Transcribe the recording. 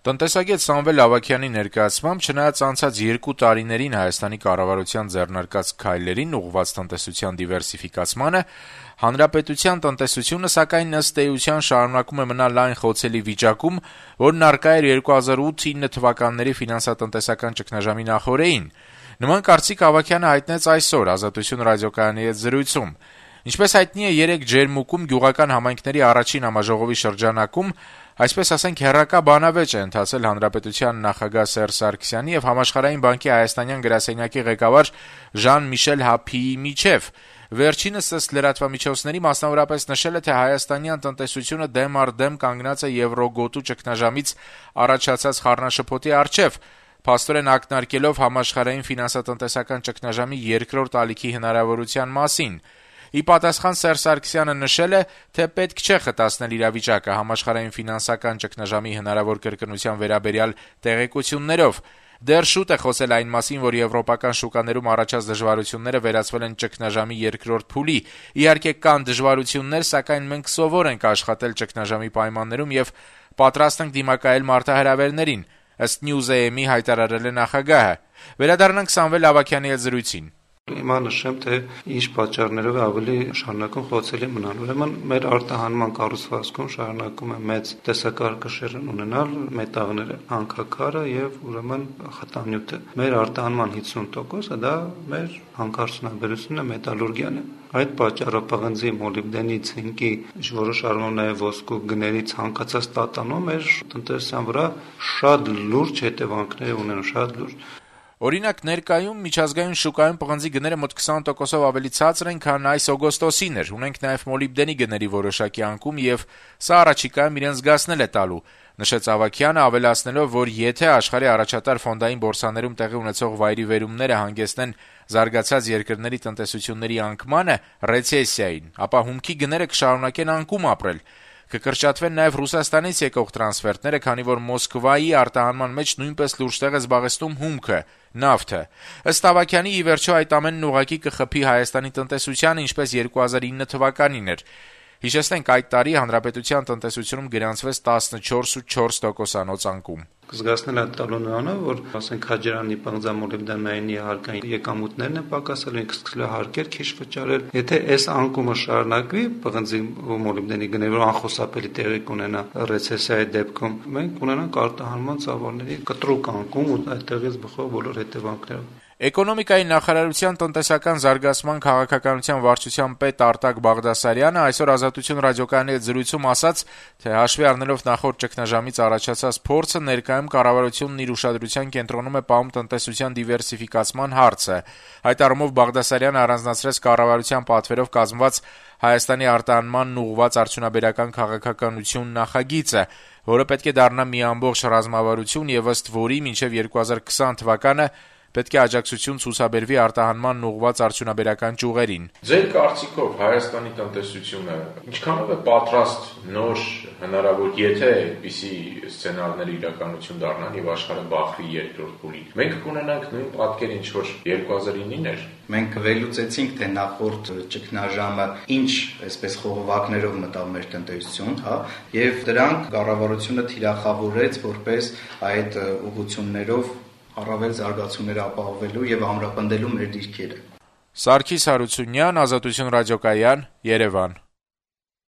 Տնտեսագետ Սամվել Ավագյանի ներկայացմամբ, չնայած անցած 2 տարիներին Հայաստանի կառավարության ձեռնարկած քայլերին ուղղված տնտեսության դիվերսիֆիկացմանը, հանրապետության տնտեսությունը սակայն ըստ էության շարունակում է մնալ այն խոցելի վիճակում, որն առկա էր 2008-9 թվականների ֆինանսատնտեսական ճգնաժամի նախօրեին։ Նման կարծիք Ավագյանը հայտնեց այսօր «Ազատություն» ռադիոկայանի հետ զրույցում։ Ինչպես հայտնի է, 3 ջերմուկում գյուղական համայնքների առաջին համաժողովի շրջանակում, այսպես ասենք, հեռակա բանավեճ է ընթացել Հանրապետության նախագահ Սերժ Սարգսյանի եւ Համաշխարհային բանկի հայաստանյան գրասենյակի ղեկավար Ժան-Միշել Հափիի միջեւ։ Վերջինս ըստ լրատվամիջոցների մասնավորապես նշել է, թե հայաստանյան տնտեսությունը դեմ առ դեմ կանգնած է եվրոգոտու ճգնաժամից առաջացած խառնաշփոթի առջեւ, փաստորեն ակնարկելով համաշխարհային ֆինանսատնտեսական ճգնաժամի երկրորդ ալիքի հնարավորության մասին։ Ի պատասխան Սերժ Սարգսյանը նշել է, թե պետք չէ խտացնել իրավիճակը համաշխարհային ֆինանսական ճգնաժամի հնարավոր կրկնության վերաբերյալ տեղեկություններով։ Դեռ շուտ է խոսել այն մասին, որ եվրոպական շուկաներում առաջած դժվարությունները վերածվել են ճգնաժամի երկրորդ փուլի։ Իհարկե կան դժվարություններ, սակայն մենք սովոր ենք աշխատել ճգնաժամի պայմաններում եւ պատրաստ ենք դիմակայել մարտահրավերներին, ըստ News.am-ի հայտարարել է նախագահը։ Վերադառնանք Սամվել Ավագյանի հետ զրույցին։ Հիմա նշեմ, թե ինչ պատճառներով է ավելի շարունակում խոցելի մնալ։ Ուրեմն մեր արտահանման կառուցվածքում շարունակում է մեծ տեսակարգշիռ ունենալ մետաղները, հանքաքարը եւ ուրեմն խտանյութը։ Մեր արտահանման 50%-ը դա մեր հանքարդյունաբերությունն է, մետալուրգիան է։ Այդ պատճառով պղնձի, մոլիբդենի, ցինկի, որոշ առումով նաեւ ոսկու գների ցանկացած տատանումը մեր տնտեսության վրա շատ լուրջ հետևանքներ ունեն, շատ լուրջ։ Օրինակ, ներկայում միջազգային շուկայում պղնձի գները մոտ 20%-ով ավելի ցածր են, քան այս օգոստոսին էր։ Ունենք նաև մոլիբդենի գների որոշակի անկում եւ սա առաջիկայում իրեն զգացնել է տալու, նշեց Ավագյանը, ավելացնելով, որ եթե աշխարհի առաջատար ֆոնդային բորսաներում տեղի ունեցող վայրի վերումները հանգեցնեն զարգացած երկրների տնտեսությունների անկմանը, ռեցեսիային, ապա հումքի գները կշարունակեն անկում ապրել։ Կկրճատվեն նաև Ռուսաստանից եկող տրանսֆերտները, քանի որ Մոսկվայի արտահանման մեջ նույնպես լուրջ տեղ է զբաղեցնում հումքը, նավթը։ Ըստ Ավագյանի, ի վերջո այդ ամենն ուղղակի կխփի Հայաստանի տնտեսությանը, ինչպես 2009 թվականին էր։ Հիշեցնենք, այդ տարի հանրապետության տնտեսությունում գրանցվեց 14.4% անկում։ Կզգացնել է տալու նրանով, որ ասենք Քաջարանի պղնձամոլիբդենային հարկային եկամուտներն են պակասել, ինքը սկսել է հարկեր քիչ վճարել։ Եթե այս անկումը շարունակվի, պղնձի մոլիբդենի գները որ անխուսափելի տեղի կունենա ռեցեսիայի դեպքում, մենք կունենանք արտահանման ծավալների կտրուկ անկում ու այդտեղից բխող բոլոր հետևանքներով։ Էկոնոմիկայի նախարարության տնտեսական զարգացման քաղաքականության վարչության պետ Արտակ Բաղդասարյանը այսօր «Ազատություն» ռադիոկայանի հետ զրույցում ասաց, թե հաշվի առնելով նախորդ ճգնաժամից առաջացած փորձը, ներկայում կառավարությունն իր ուշադրության կենտրոնում է պահում տնտեսության դիվերսիֆիկացման հարցը։ Այդ առումով Բաղդասարյանը առանձնացրեց կառավարության պատվերով կազմված Հայաստանի արտահանմանն ուղղված արդյունաբերական քաղաքականություն նախագիծը, որը պետք է դառնա մի ամբողջ ռազմավարություն եւ ըստ որի մինչեւ 2020 թվականը պետք է աջակցություն ցուցաբերվի արտահանմանն ուղղված արդյունաբերական ճյուղերին։ Ձեր կարծիքով Հայաստանի տնտեսությունը ինչքանով է պատրաստ նոր հնարավոր, եթե այդպիսի սցենարները իրականություն դառնան եւ աշխարհը բախվի երկրորդ փուլին։ Մենք կունենանք նույն պատկեր, ինչ որ 2009-ին էր։ Մենք վերլուծեցինք, թե նախորդ ճգնաժամը ինչ, այսպես խողովակներով մտավ մեր տնտեսություն, եւ դրանք կառավարությունը թիրախավորեց որպես այդ ուղղություններով առավել զարգացումներ ապահովելու եւ ամրապնդելու մեր դիրքերը։ Սարգիս Հարությունյան, Ազատություն ռադիոկայան, Երևան։